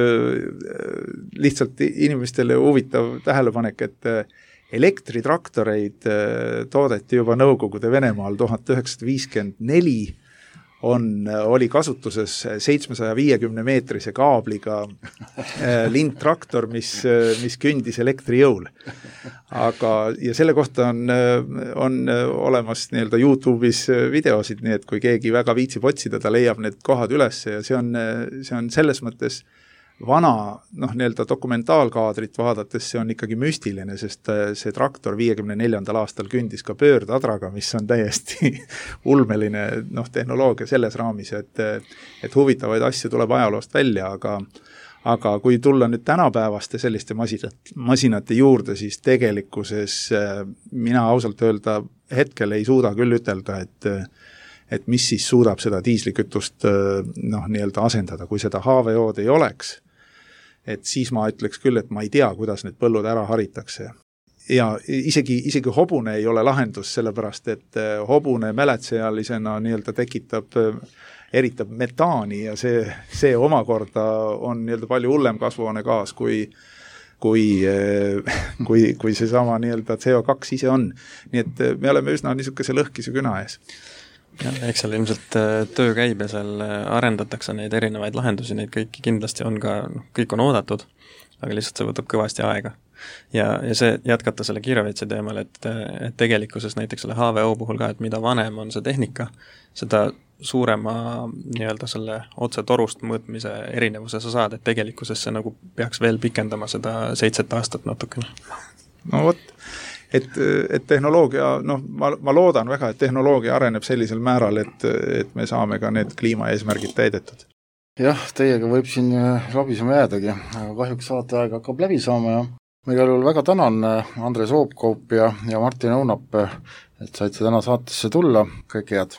lihtsalt inimestele huvitav tähelepanek, et elektritraktoreid toodeti juba Nõukogude Venemaal 1954, oli kasutuses 750 meetrise kaabliga lindtraktor, mis kündis elektrijõul. Ja selle kohta on olemas nii-öelda YouTube'is videosid, nii et kui keegi väga viitsib otsida, ta leiab need kohad üles ja see on selles mõttes vana nii-öelda dokumentaalkaadrit vaadates see on ikkagi müstiline, sest see traktor 54. aastal kündis ka pöördadraga, mis on täiesti ulmeline tehnoloogia selles raamis, et huvitavaid asju tuleb ajaloost välja, aga kui tulla nüüd tänapäevaste selliste masinate juurde, siis tegelikkuses mina ausalt öelda hetkel ei suuda küll ütelda, et mis siis suudab seda diislikütust nii-öelda asendada, kui seda HVO-d ei oleks, et siis ma ütleks küll, et ma ei tea, kuidas need põllud ära haritakse. Ja isegi hobune ei ole lahendus, sellepärast, et hobune mäletsealisena nii-öelda eritab metaani ja see omakorda on nii-öelda palju hullem kasvuhoonegaas kui seesama nii-öelda CO2 ise on. Nii et me oleme üsna niisuguse lõhkise küna ees. Ja, eks seal ilmselt töö käib ja seal arendatakse neid erinevaid lahendusi, neid kõiki kindlasti on ka, kõik on oodatud, aga lihtsalt see võtab kõvasti aega. Ja see jätkata selle kiiraveitsi teemal, et tegelikkuses näiteks selle HVO puhul ka, et mida vanem on see tehnika, seda suurema nii-öelda selle otse torust mõõtmise erinevuse sa saad, et tegelikkuses see nagu peaks veel pikendama seda 7 aastat natukene. No vot. Et tehnoloogia, ma loodan väga, et tehnoloogia areneb sellisel määral, et me saame ka need kliimaeesmärgid täidetud. Jah, teiega võib siin labisema jäädagi, aga kahjuks saateaeg hakkab läbi saama ja ma igal juhul väga tänan Andres Oopkaup ja Martin Õunap, et saite täna saatesse tulla, kõik head!